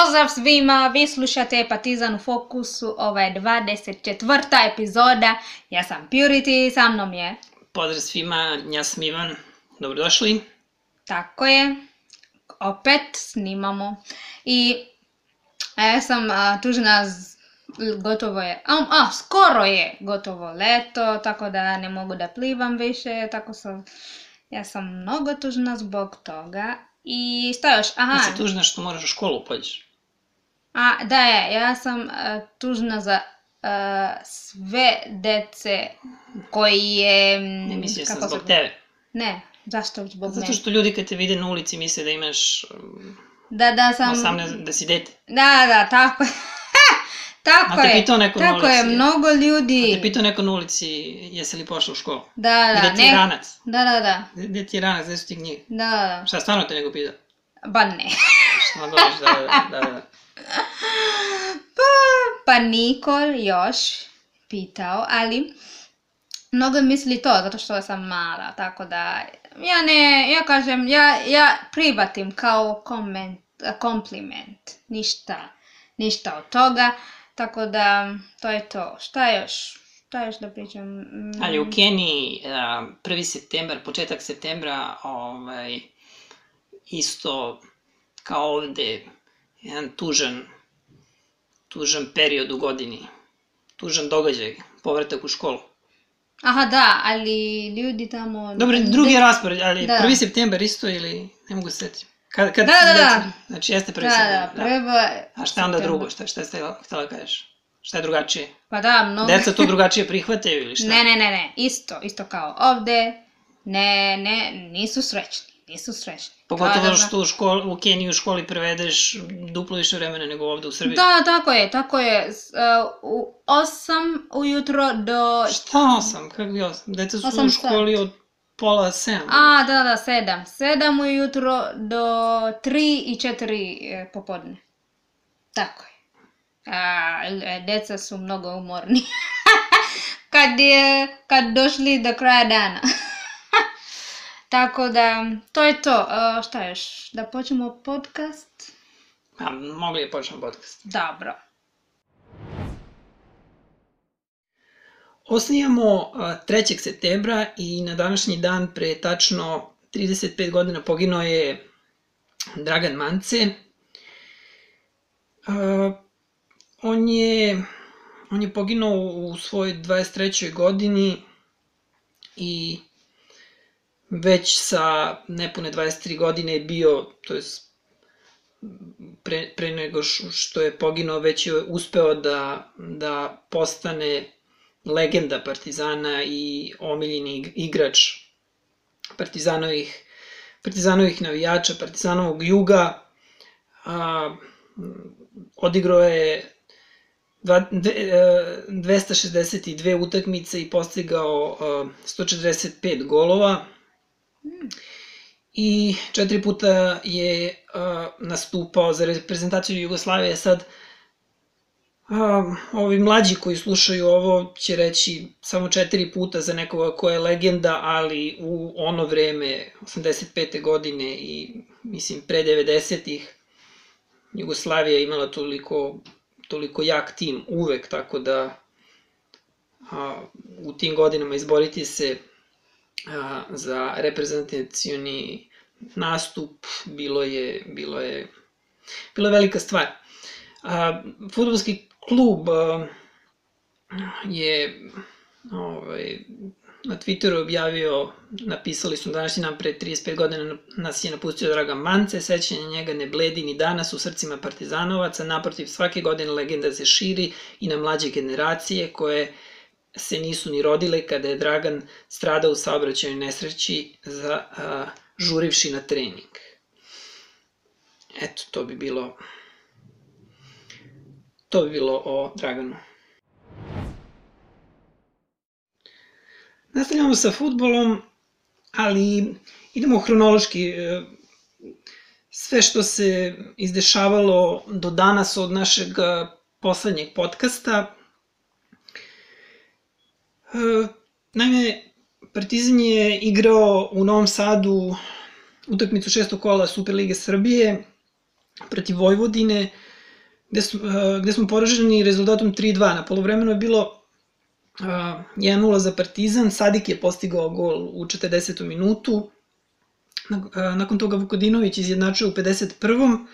Pozdrav svima, vi slušate Partizan u fokusu, ovo je 24. epizoda, ja sam Purity, sa mnom je... Pozdrav svima, ja sam Ivan, dobrodošli. Tako je, opet snimamo i ja sam tužna, gotovo je, skoro je gotovo leto, tako da ne mogu da plivam više, ja sam mnogo tužna zbog toga. I šta još? Ti si tužna što moraš u školu pođeš? Ja sam tužna za sve dece koji je... Ne mislio sam zbog tebe. Ne, zašto zbog mene? Zato što ljudi kad te vide na ulici misle da imaš da sam... 18, da si dete. Da, tako je. Tako je, mnogo ljudi. A te pitao neko na ulici, jesi li pošla u školu? Da. Gde ti je ranac? Da. Gde ti je ranac, gde su ti knjige? Da. Šta, stvarno te neko pitao? Ba ne. Šta govoriš, da. Pa niko još pitao, ali mnogo misli to, zato što sam mala, tako da ja kažem, ja prihvatim kao kompliment, ništa od toga, tako da to je to. Šta još da pričam? Ali u Keniji 1. septembar, početak septembra, isto kao ovde, jedan tužan period u godini, tužan događaj, povratak u školu. Aha, da, ali ljudi tamo... Dobro, drugi je raspored, ali 1. septembar isto ili ne mogu se setiti. Da. Znači jeste 1. septembar. Da, prva... A šta je onda drugo? Šta ste htjela kažeš? Šta je drugačije? Pa da, mnogo... Deca to drugačije prihvataju ili šta? Ne, isto kao ovde. Ne, nisu srećni. Pogotovo što u Keniji u školi prevedeš duplo više vremena nego ovde u Srbiji. Da, tako je. U 8 ujutro do... Šta 8? Kako bi 8? Deca su u školi od pola 7. Da, 7. 7 ujutro do 3 i 4 popodne. Tako je. Deca su mnogo umorni. Kad došli do kraja dana. Tako da, to je to. Šta još? Da počnemo podcast? Mogli je počnemo podcast. Dobro. Osnijamo 3. septembra i na današnji dan pre tačno 35 godina poginuo je Dragan Mance. On je poginuo u svojoj 23. godini i već sa nepune 23 godine je bio, to je pre nego što je poginuo, već je uspeo da postane legenda Partizana i omiljeni igrač Partizanovih navijača, Partizanovog juga. Odigrao je 262 utakmice i postigao 145 golova. I 4 puta je nastupao za reprezentaciju Jugoslavije. Sad, ovi mlađi koji slušaju ovo će reći samo 4 puta za nekoga ko je legenda, ali u ono vreme, 85. godine i mislim pre 90-ih, Jugoslavija imala toliko jak tim uvek, tako da u tim godinama izboriti se za reprezentacioni nastup bilo je velika stvar. Fudbalski klub je na Twitteru objavio, napisali su današnji dan pre 35 godina nas je napustio Dragan Mance, sećanje njega ne bledi ni danas u srcima partizanovaca, naprotiv svake godine legenda se širi i na mlađe generacije koje se nisu ni rodile kada je Dragan stradao u saobraćajnoj nesreći žurivši na trening. Eto, to bi bilo o Draganu. Nastavljamo sa fudbalom, ali idemo hronološki. Sve što se izdešavalo do danas od našeg poslednjeg podcasta. Naime, Partizan je igrao u Novom Sadu utakmicu 6. kola Superlige Srbije protiv Vojvodine. gde smo poraženi rezultatom 3:2. Na polovremenu je bilo 1:0 za Partizan, Sadik je postigao gol u 40. minutu, nakon toga Vukodinović izjednačio u 51.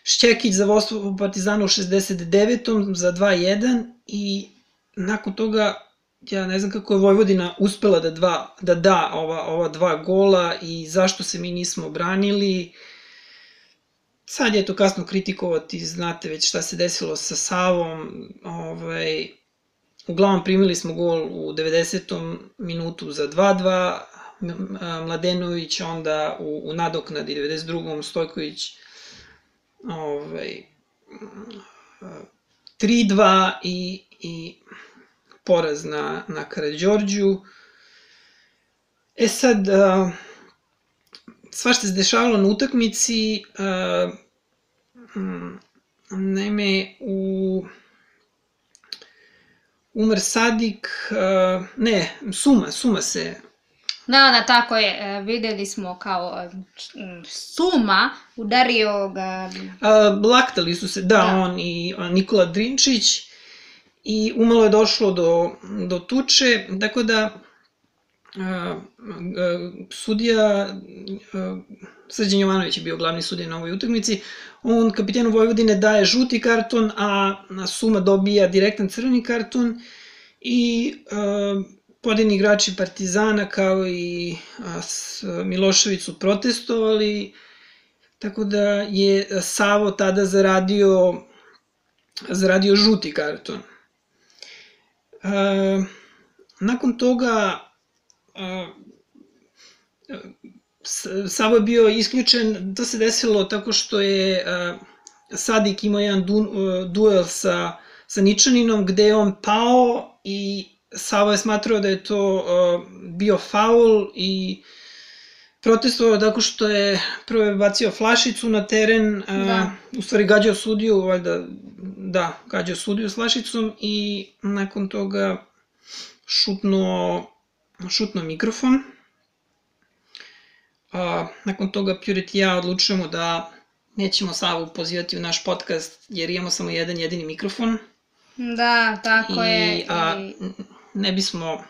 Šćekić za vodstvo Partizana u 69. za 2:1 i nakon toga ja ne znam kako je Vojvodina uspela da da ova 2 gola i zašto se mi nismo branili. Sad je to kasno kritikovati, znate već šta se desilo sa Savom. Uglavnom primili smo gol u 90. minutu za 2:2, Mladenović onda u nadoknadi 92. Stojković 3:2 i poraz na Karađorđu. Sad, svašta se dešavalo na utakmici, naime, Umar Sadik, Suma se... Da, tako je, videli smo kao Suma udario ga... Laktali su se, on i Nikola Drinčić i umalo je došlo do tuče, tako da sudija Srđan Jovanović je bio glavni sudija na ovoj utakmici, on kapitenu Vojvodine daje žuti karton, a Suma dobija direktan crveni karton i pojedini igrači Partizana kao i Milošević su protestovali, tako da je Savo tada zaradio žuti karton. Nakon toga Savo je bio isključen, to se desilo tako što je Sadik imao jedan duel sa Ničaninom gde je on pao i Savo je smatrao da je to bio faul i protestovao tako što je prvo bacio flašicu na teren, u stvari gađao sudiju, valjda, gađao sudiju s flašicom i nakon toga šutnuo mikrofon. Nakon toga Pjuret i ja odlučujemo da nećemo Savu pozivati u naš podcast jer imamo samo jedan jedini mikrofon. Da, tako je. Ne bismo,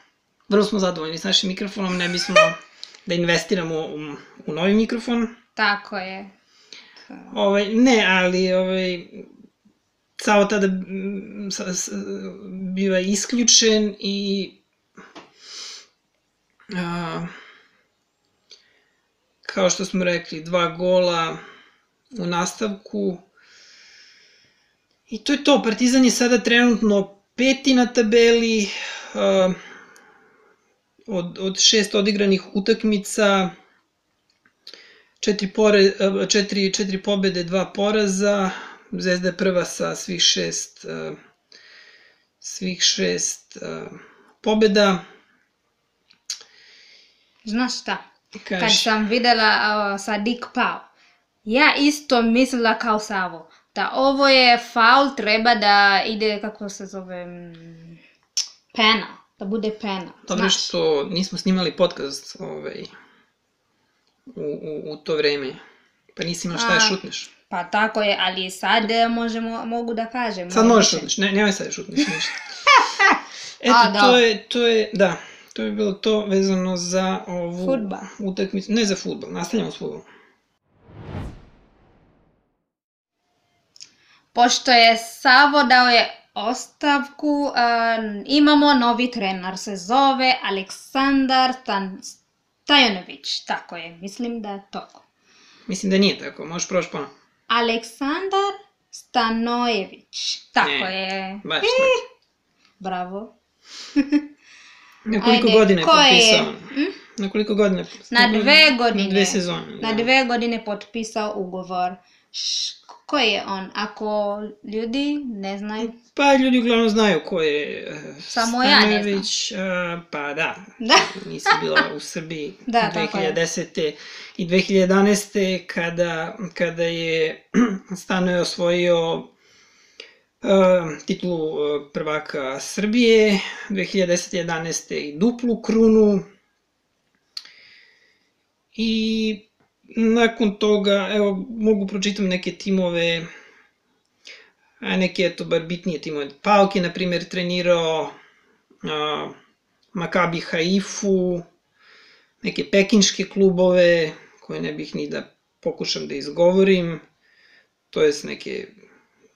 vrlo smo zadovoljni s našim mikrofonom, ne bismo da investiramo u novi mikrofon. Tako je. Ne, ali Savo tada biva isključen i kao što smo rekli, 2 gola u nastavku. I to je to, Partizan je sada trenutno 5. na tabeli, od 6 odigranih utakmica, 4 pobede, 2 poraza, Zvezda je prva sa svih 6 pobeda. Znaš šta, kad sam videla Sadik pao, ja isto mislila kao Savo, da ovo je faul, treba da ide, kako se zove, penal, da bude penal. Dobro što nismo snimali podcast u to vreme, pa nisi imala šta da šutneš. Pa tako je, ali sad mogu da kažem. Sad možeš šutneš, nemoj sad da šutneš ništa. Eto, to je bilo to vezano za ovu utakmicu, ne za fudbal, nastavljamo s fudbalom. Pošto je Savo dao je ostavku, imamo novi trener, se zove Aleksandar Stajanović, tako je, mislim da je tako. Mislim da nije tako, možeš proći ponovno. Aleksandar Stanojević, tako je. Baš tako. Bravo. Na koliko godina je potpisao? Na koliko godina? Na 2 godine. Na 2 sezone. Na 2 godine potpisao ugovor. Ko je on? Ako ljudi ne znaju? Pa ljudi uglavnom znaju ko je Samo ja ne znam. Pa da, nisi bila u Srbiji 2010. i 2011. kada je Stanoje osvojio titulu prvaka Srbije, 2010. 11. i duplu krunu. I nakon toga, evo, mogu pročitam neke timove. a neki, eto, bar bitnije timove. Pauk je, na primjer, trenirao Makabi Haifu, neke pekinške klubove, koje ne bih ni da pokušam da izgovorim, to jest neke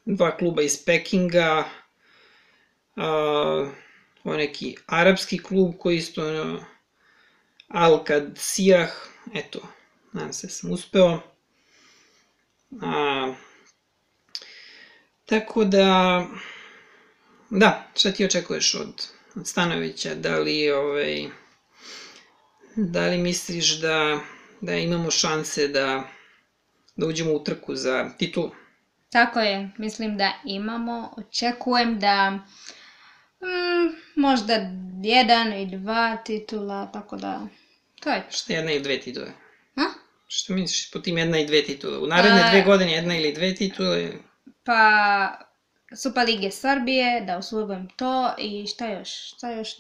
2 kluba iz Pekinga, ovo neki arapski klub koji isto Al-Kad Sijah, eto, nadam se sam uspeo. Tako da, šta ti očekuješ od Stanojevića? Da li misliš da imamo šanse da uđemo u trku za titulu? Tako je, mislim da imamo. Očekujem da možda 1 i 2 titula, tako da to je. Šta 1 i 2 titule? Što misliš po tim 1 i 2 titule? U naredne 2 godine 1 ili 2 titule? Pa Super Lige Srbije, da osvojim to i šta još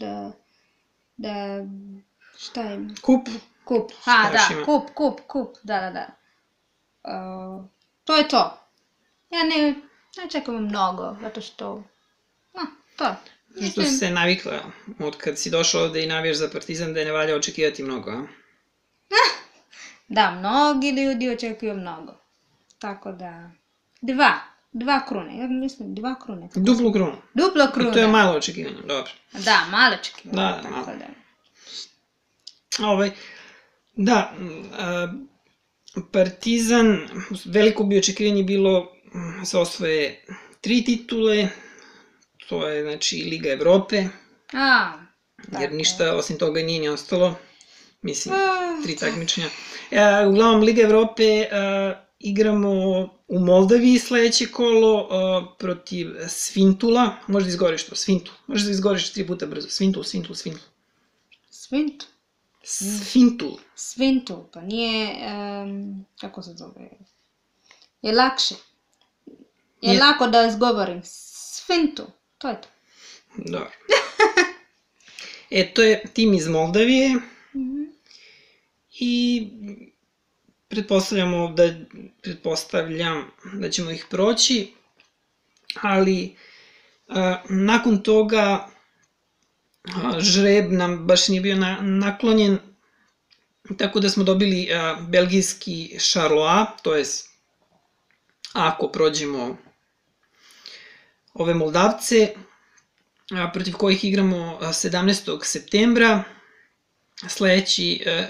da šta je? Kup. Kup, da. To je to. Ja ne čekam mnogo, zato što, to. Što si se navikla, od kad si došla ovde i navijaš za Partizan, da je ne valja očekivati mnogo, a? Da, mnogi ljudi očekuju mnogo. Tako da, 2 krune, ja mislim 2 krune. Duplu krunu. To je malo očekivanje, dobro. Da, malo očekivanje. Da, malo. Da, Partizan, veliko bi očekivanje bilo se osvoje 3 titule, to je, znači, Liga Evrope, jer ništa osim toga nije ni ostalo, mislim, 3 takmičenja. Uglavnom, Liga Evrope igramo u Moldaviji sledeće kolo protiv Svintula, možda izgovoriš to, Svintul, možda izgovoriš 3 puta brzo, Svintul. Svintul, pa nije, kako se zove, je lakše. Je lako da izgovorim, Svintul, to je to. Dobro. To je tim iz Moldavije i pretpostavljam da ćemo ih proći, ali nakon toga žreb nam baš nije bio naklonjen, tako da smo dobili belgijski Charleroi, to je ako prođemo ove Moldavce, protiv kojih igramo 17. septembra.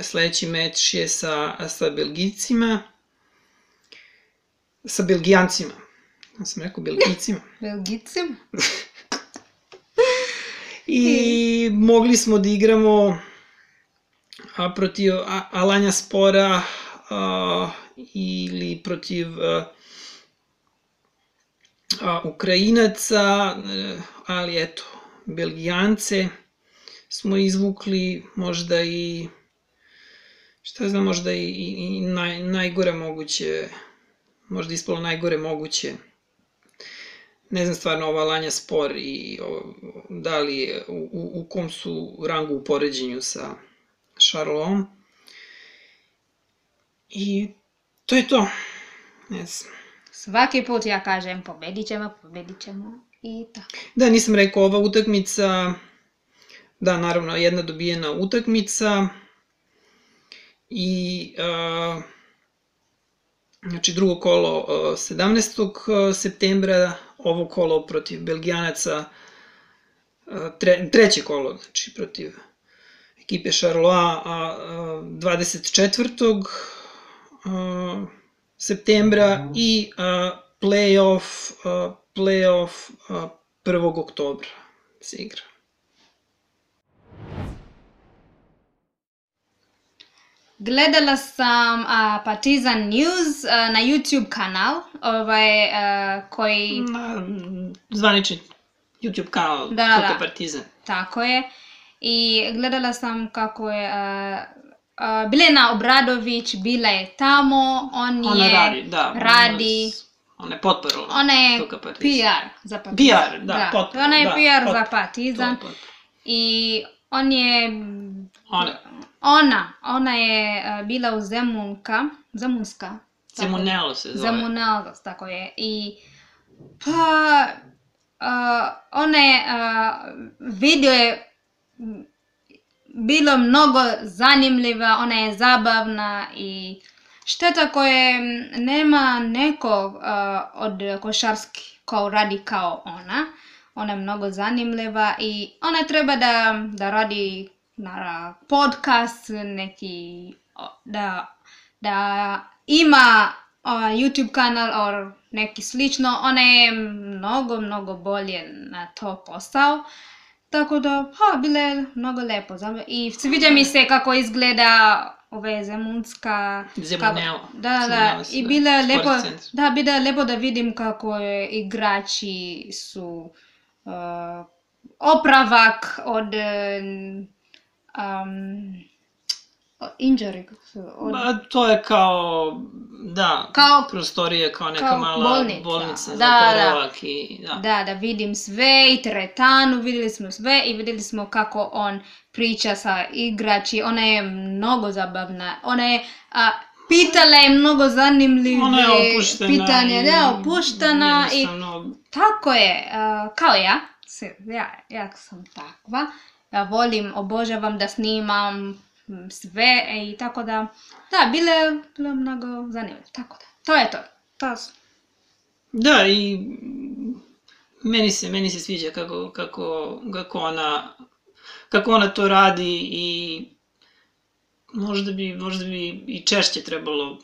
Sledeći meč je sa Belgijcima, sa Belgijancima. Ja sam rekao Belgijcima. Belgijcima? I mogli smo da igramo protiv Alanja Spora ili protiv Ukrajinaca, ali eto, Belgijance smo izvukli možda i, šta znam, možda i najgore moguće, možda ispalo najgore moguće. Ne znam stvarno ova Alanja Spor i da li u kom su rangu u poređenju sa Charleroi. I to je to. Ne znam. Svaki put ja kažem pobedit ćemo i tako. Da, nisam rekao, ova utakmica, da, naravno, jedna dobijena utakmica i znači drugo kolo 17. septembra, ovo kolo protiv Belgijanaca, treće kolo, znači protiv ekipe Charleroi 24. septembra i play-off 1. oktobra se igra. Gledala sam Partizan News na YouTube kanal, koji... Zvanični YouTube kanal, Foto Partizan. Tako je. I gledala sam kako je Bilena Obradović bila je tamo, Ona radi. Ona je potpora. Ona je PR za Partizan. PR, da, potpora. Ona je PR za Partizan. I on je... Ona je bila u Zemunska. Zemunelo se zove. Zemunelo, tako je. I Pa, video je bilo mnogo zanimljiva, ona je zabavna i šteta koje nema nekog od košarski ko radi kao ona. Ona je mnogo zanimljiva i ona treba da radi podcast, neki, da ima YouTube kanal or neki slično. Ona je mnogo bolje na to posao. Tako da, bilo je mnogo lepo. I sviđa mi se kako izgleda Zemunska. Zemuneo. Da, i bilo je lepo, bilo je lepo da vidim kako igrači su opravak od injury. To je kao, prostorije, kao neka mala bolnica za oporavak. Da vidim sve i teretanu, vidjeli smo sve i vidjeli smo kako on priča sa igrači. Ona je mnogo zabavna. Ona je pitala je mnogo zanimljive pitanja. Da, opuštena i tako je, kao ja. Ja sam takva. Ja obožavam da snimam sve i tako da, bilo je mnogo zanimljivo, tako da, to je to. Da, i meni se sviđa kako ona to radi i možda bi i češće trebalo,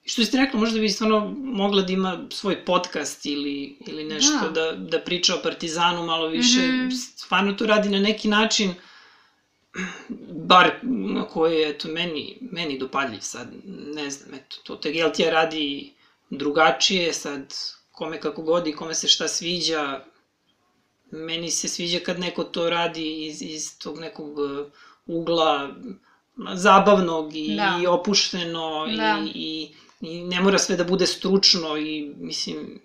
što ste rekla, možda bi stvarno mogla da ima svoj podcast ili nešto, da priča o Partizanu malo više, stvarno to radi na neki način, bar na koji je, eto, meni dopadljiv sad, ne znam, eto, to Tegeltija radi drugačije, sad, kome kako godi, kome se šta sviđa, meni se sviđa kad neko to radi iz tog nekog ugla zabavnog i opušteno i ne mora sve da bude stručno i, mislim...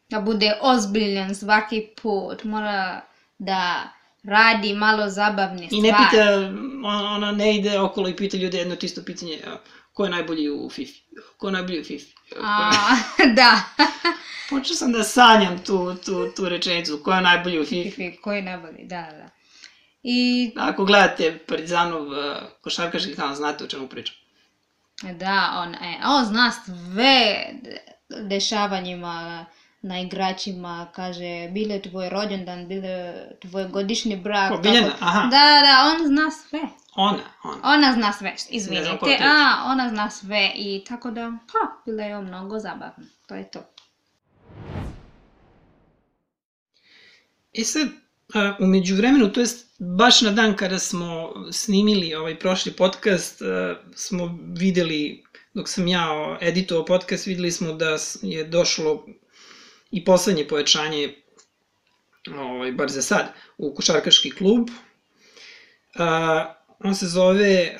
Da bude ozbiljan svaki put, mora da radi malo zabavne stvari. I ne pita, ona ne ide okolo i pita ljude jedno isto pitanje, ko je najbolji u FIFA? Ko je najbolji u FIFA? Da. Počeo sam da sanjam tu rečenicu, ko je najbolji u FIFA? Ko je najbolji, da. Ako gledate Partizanov košarkaški kanal, znate o čemu pričam. Da, on zna sve dešavanjima na igračima, kaže, bilo je tvoj rođendan, bilo je tvoj godišnji brak. Ko, Biljana? Aha. Da, on zna sve. Ona zna sve, izvinite. Ona zna sve i tako da, bilo je mnogo zabavno. To je to. Sad, u međuvremenu, to jest baš na dan kada smo snimili ovaj prošli podcast, smo videli, dok sam ja editovao podcast, videli smo da je došlo i poslednje pojačanje, bar za sad, u košarkaški klub. On se zove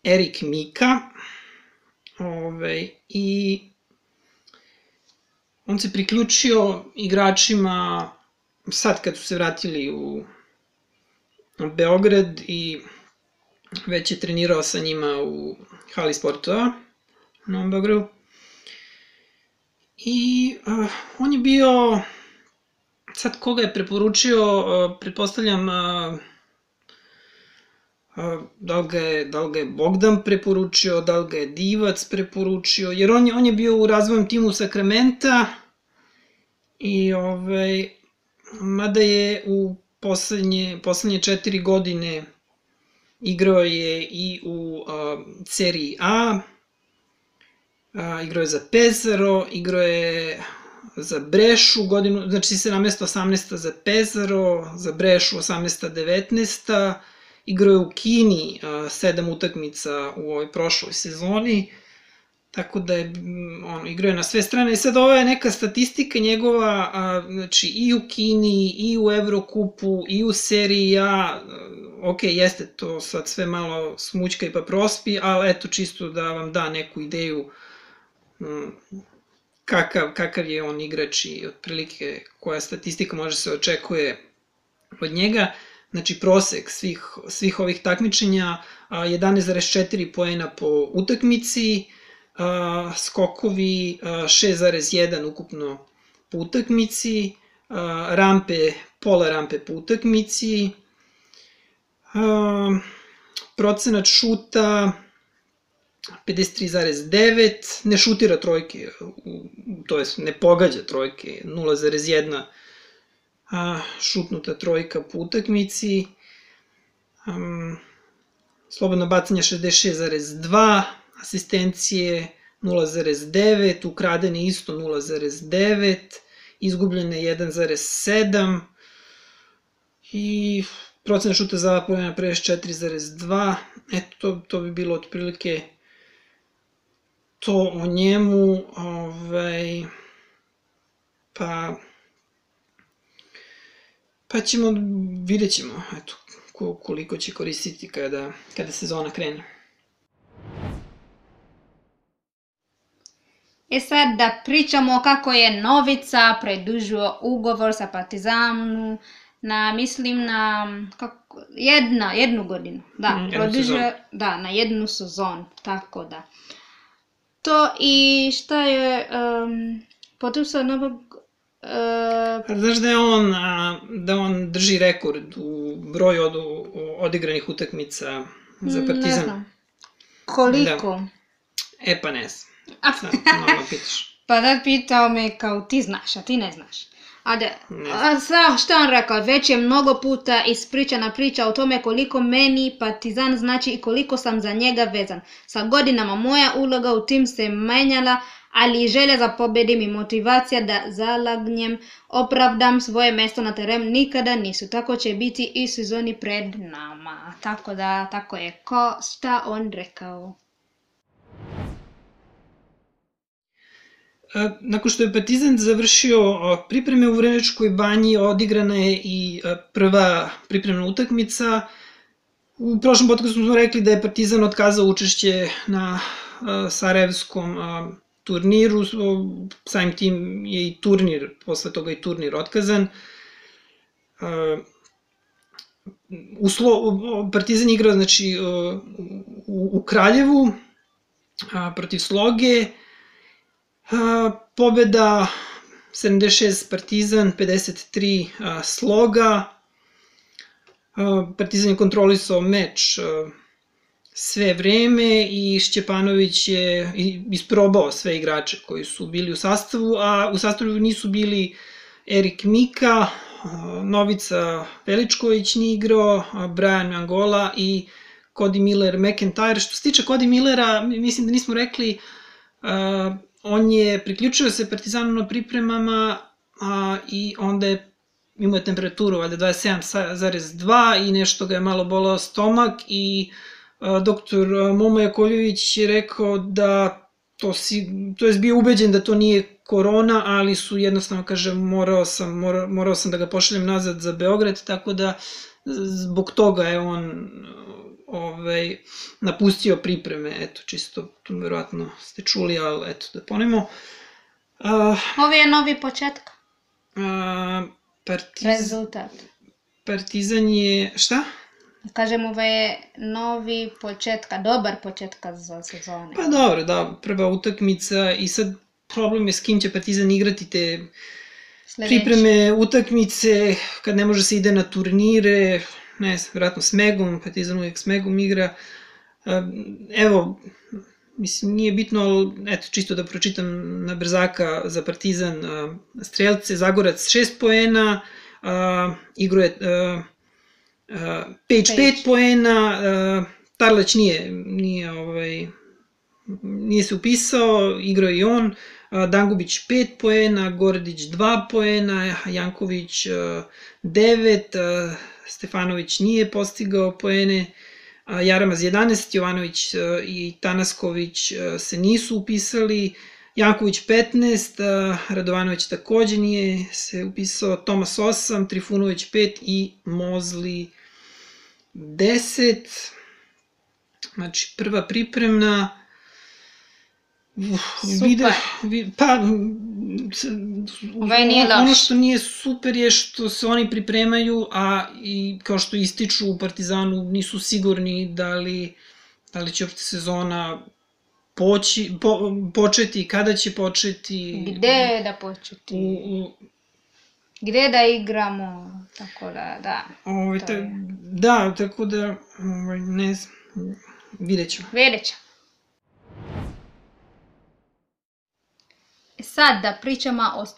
Erik Mika i on se priključio igračima sad kad su se vratili u Beograd i već je trenirao sa njima u hali sportova u Novom Beogradu. I on je bio, sad koga je preporučio, pretpostavljam da li ga je Bogdan preporučio, da li ga je Divac preporučio, jer on je bio u razvojnom timu Sakramenta i mada je u poslednje 4 godine igrao je i u seriji A, igrao je za Pesaro, igrao je za Brešu godinu, znači 17-18 za Pesaro, za Brešu 18-19, igrao je u Kini 7 utakmica u ovoj prošloj sezoni, tako da je, igrao je na sve strane. I sad ova je neka statistika njegova, znači i u Kini, i u Evrokupu, i u seriji A, ok, jeste to sad sve malo smućka i pa prospi, ali eto čisto da vam da neku ideju kakav je on igrač i otprilike koja statistika može se očekuje od njega. Znači prosek svih ovih takmičenja, 11,4 poena po utakmici, skokovi 6,1 ukupno po utakmici, rampe, pola rampe po utakmici, procenat šuta 53,9, ne šutira trojke, to jest ne pogađa trojke, 0,1 šutnuta trojka po utakmici, slobodno bacanje 66,2, asistencije 0,9, ukradene isto 0,9, izgubljene 1,7 i procenat šuta za poena 54,2. Eto, to bi bilo otprilike to o njemu, pa vidjet ćemo, eto, koliko će koristiti kada sezona krene. Sad da pričamo kako je Novica produžio ugovor sa Partizanom mislim na jednu godinu. Da, produžio na jednu sezonu, tako da. To i šta je potpisao novog... Znaš da on drži rekord u broju odigranih utakmica za Partizan? Ne znam. Koliko? Pa ne znam. Sad, malo pitaš. Pa da pitao me kao ti znaš, a ti ne znaš. Šta on rekao? Već je mnogo puta ispričana priča o tome koliko meni Partizan znači i koliko sam za njega vezan. Sa godinama moja uloga u tim se menjala, ali želja za pobedim i motivacija da zalagnem, opravdam svoje mesto na terenu nikada nisu. Tako će biti i sezoni pred nama. Tako da, tako je. Šta on rekao? Nakon što je Partizan završio pripreme u Vrnjačkoj Banji, odigrana je i prva pripremna utakmica. U prošlom podcastu smo rekli da je Partizan otkazao učešće na sarajevskom turniru, samim tim je i turnir, posle toga i turnir otkazan. Partizan igrao znači, u Kraljevu protiv Sloge, pobeda 76 Partizan, 53 Sloga. Partizan je kontrolisao meč sve vreme i Šćepanović je isprobao sve igrače koji su bili u sastavu, a u sastavu nisu bili Erik Mika, Novica Veličković nije igrao, Brian Angola i Cody Miller McIntyre. Što se tiče Cody Millera, mislim da nismo rekli, on je priključio se Partizanu na pripremama i onda je imao temperaturu, valjda 27,2 i nešto ga je malo bolao stomak i doktor Momo Jakovljević je rekao da to je bio ubeđen da to nije korona, ali su jednostavno, kaže, morao sam da ga pošaljem nazad za Beograd, tako da zbog toga je on napustio pripreme, eto, čisto, tu verovatno ste čuli, ali eto, da ponovimo. Ovo je novi početak. Rezultat. Partizan je, šta? Kažem, ovo je novi početka, dobar početka za sezone. Pa dobro, da, prva utakmica i sad problem je s kim će Partizan igrati te pripreme utakmice, kad ne može se ide na turnire, ne znam, vjerojatno s Megom, Partizan uvijek s Megom igra. Evo, mislim, nije bitno, ali eto, čisto da pročitam na brzaka za Partizan strelce, Zagorac 6 poena, igro je Pejć 5 poena, Tarlać nije se upisao, igrao je i on, Dangubić 5 poena, Gordić 2 poena, Janković 9, Stefanović nije postigao poene, Jaramaz 11, Jovanović i Tanasković se nisu upisali, Janković 15, Radovanović takođe nije se upisao, Tomas 8, Trifunović 5 i Mozli 10. Znači, prva pripremna. Super. Ono što nije super je što se oni pripremaju, a i kao što ističu u Partizanu nisu sigurni da li će opšte sezona početi, kada će početi. Gde da početi? Gde da igramo, tako da. Da, tako da, ne znam, vidjet ćemo. Sad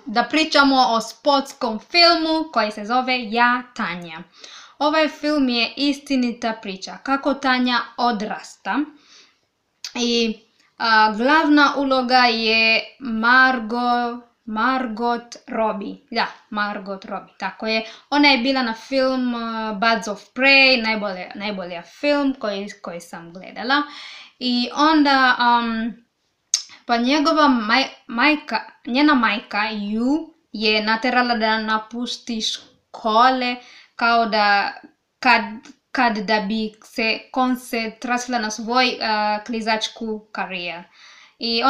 da pričamo o sportskom filmu koji se zove Ja, Tanja. Ovaj film je istinita priča kako Tanja odrasta i glavna uloga je Margot Robbie. Da, Margot Robbie, tako je. Ona je bila na film Birds of Prey, najbolji film koji sam gledala. I onda pa njena majka ju je naterala da napusti škole kao da kad da bi se koncentrirala na svoj klizačku karijer. I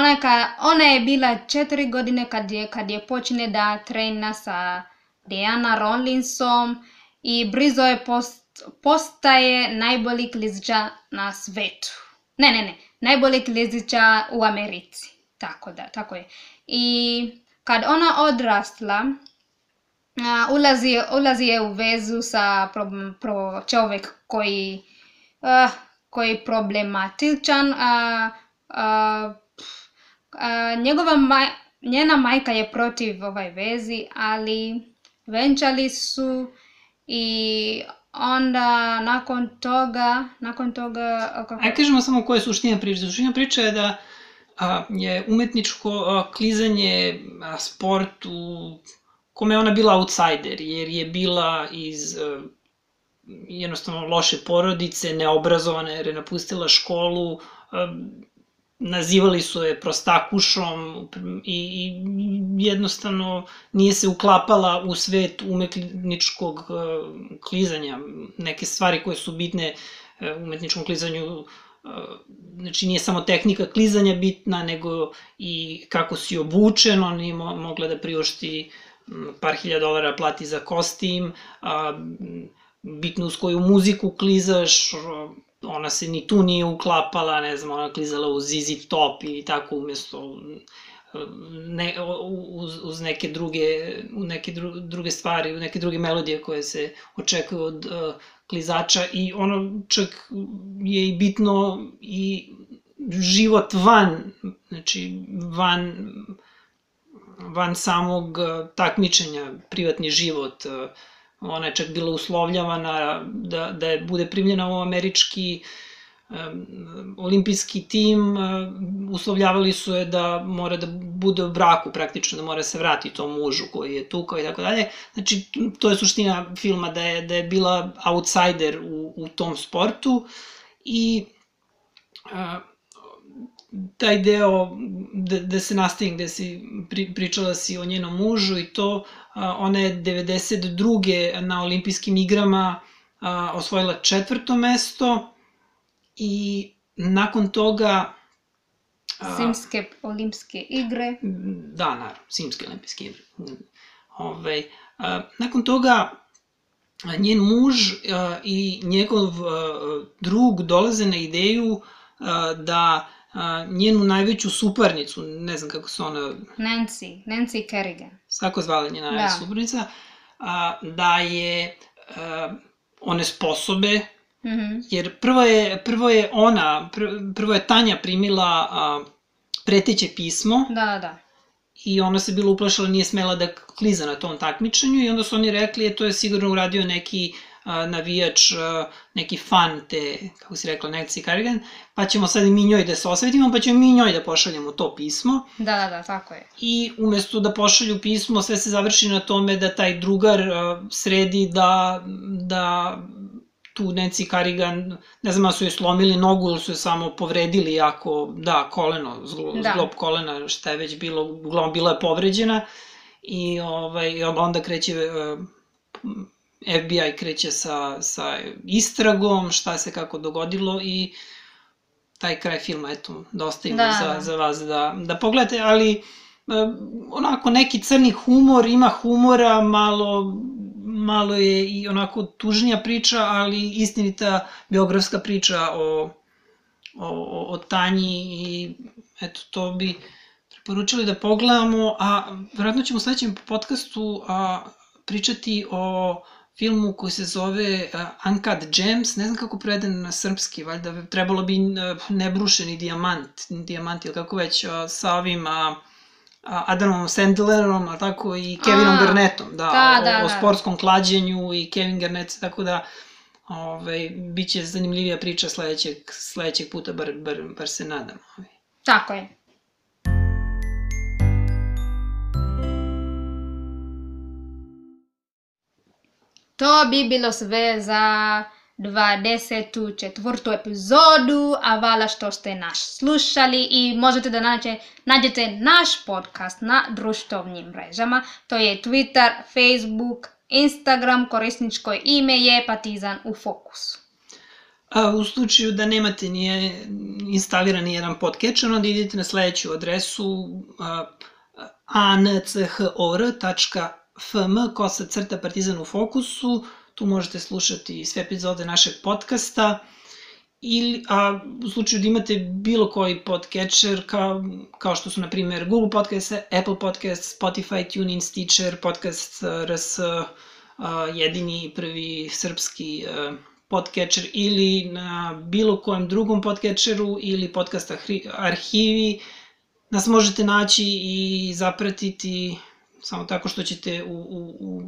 ona je bila 4 godine kad je počne da trena sa Diana Rawlinsom i brzo je postaje najbolji klizača na svetu. Ne, najbolji klizača u Americi. Tako je. I kad ona odrasla, ulazi je u vezu sa čovjek koji je problematičan. Njena majka je protiv ovoj vezi, ali venčali su i onda nakon toga... Ajde kažemo samo koja je suština priče. Suština priča je da je umetničko klizanje sport u kome je ona bila outsider, jer je bila iz jednostavno loše porodice, neobrazovana jer je napustila školu, nazivali su je prostakušom i jednostavno nije se uklapala u svet umetničkog klizanja. Neke stvari koje su bitne umetničkom klizanju, znači nije samo tehnika klizanja bitna, nego i kako si obučen, on nije mogla da priušti par $1000 plati za kostim, bitno uz koju muziku klizaš, ona se ni tu nije uklapala, ne znam, ona klizala uz ZZ Top i tako umjesto uz neke druge stvari, neke druge melodije koje se očekuju od klizača i ono čak je i bitno i život znači van samog takmičenja, privatni život. Ona je čak bila uslovljavana da je bude primljena u američki olimpijski tim, uslovljavali su je da mora da bude u braku praktično, da mora se vratiti tom mužu koji je tukao i tako dalje. Znači, to je suština filma, da je bila outsider u tom sportu i taj deo da se nastavim, gde si pričala si o njenom mužu i to, ona je 92. na olimpijskim igrama osvojila 4. mesto i nakon toga... Simske olimpijske igre. Da, naravno, Simske olimpijske igre. Nakon toga njen muž i njegov drug dolaze na ideju da njenu najveću suparnicu, ne znam kako se ona... Nancy Kerrigan. Tako zvala njena najveća suparnica, da je one sposobe, jer prvo je Tanja primila preteće pismo. Da. I ona se bila uplašala, nije smela da kliza na tom takmičenju i onda su oni rekli, to je sigurno uradio neki navijač, neki fan te, kako si rekla, Nancy Kerrigan, pa ćemo sad i mi njoj da se osvetimo, pa ćemo mi njoj da pošaljemo to pismo. Da, tako je. I umesto da pošalju pismo, sve se završi na tome da taj drugar sredi da tu Nancy Kerrigan, ne znam, su joj slomili nogu ili su joj samo povredili jako, koleno, zglob kolena, šta je već bilo, uglavnom bila je povređena i onda kreće FBI kreće sa istragom, šta se kako dogodilo i taj kraj filma, eto, da ostavimo za vas da pogledate, ali onako neki crni humor, ima humora, malo je i onako tužnija priča, ali istinita biografska priča o Tanji i eto, to bi preporučili da pogledamo, a vjerojatno ćemo u sledećem podcastu pričati o filmu koji se zove Uncut Gems, ne znam kako preveden na srpski, valjda trebalo bi nebrušeni dijamant ili kako već, sa ovim Adamom Sandlerom, a tako i Kevinom Garnettom, o sportskom klađenju i Kevin Garnett, tako da bit će zanimljivija priča sledećeg puta, bar se nadam. Tako je. To bi bilo sve za 24. epizodu, a hvala što ste nas slušali i možete da nađete naš podcast na društvenim mrežama. To je Twitter, Facebook, Instagram, korisničko ime je Partizan u fokusu. A u slučaju da nemate instaliran jedan podcatcher, onda idete na sledeću adresu anchor.fm/Partizan u fokusu. Tu možete slušati sve epizode našeg podcasta. A u slučaju da imate bilo koji podcatcher, kao što su na primjer Google Podcast, Apple Podcast, Spotify, TuneIn, Stitcher, Podcast RS, jedini i prvi srpski podcatcher, ili na bilo kojem drugom podcatcheru ili podcast arhivi, nas možete naći i zapratiti samo tako što ćete u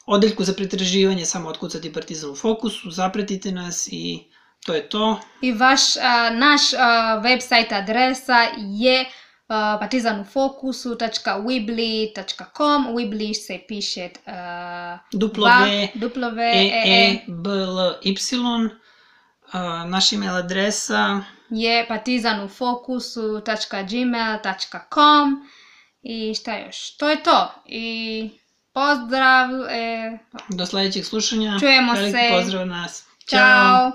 odeljku za pretraživanje samo otkucati Partizan u fokusu, zapratite nas i to je to. I naš website adresa je partizanufocus.weebly.com. Weebly se piše W-E-E-B-L-Y. Naša email adresa je partizanufocus.gmail.com. I šta još? To je to. I pozdrav. Do sledećeg slušanja. Čujemo se. Veliki pozdrav od nas. Ćao.